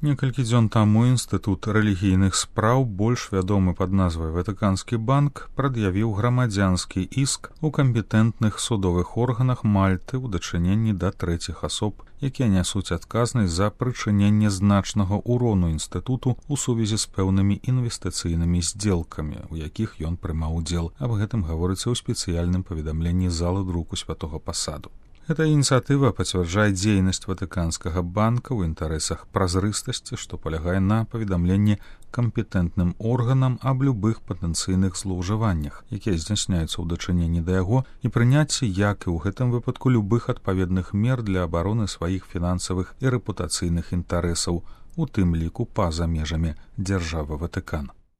Некалькі дзён таму Інстытут рэлігійных спраў, больш вядомы пад назвай Ватыканскі банк, прад'явіў грамадзянскі іск у кампетэнтных судовых органах Мальты ў дачыненні да трэціх асоб, якія нясуць адказнасць за прычыненне значнага ўрону інстытуту ў сувязі з пэўнымі інвестыцыйнымі здзелкамі, у якіх ён прымаў удзел. Аб гэтым гаворыцца ў спецыяльным паведамленні залы друку Святога Пасаду. Эта ініцыятыва пацвярджае дзейнасць Ватыканскага банка ў інтарэсах празрыстасці, што палягае на паведамленне кампетэнтным органам аб любых патэнцыйных злоўжываннях, якія здзяйсняюцца ў дачыненні да яго, і прыняцці, як і ў гэтым выпадку, любых адпаведных мер для абароны сваіх фінансавых і рэпутацыйных інтарэсаў, у тым ліку па-за межамі дзяржавы Ватыкан.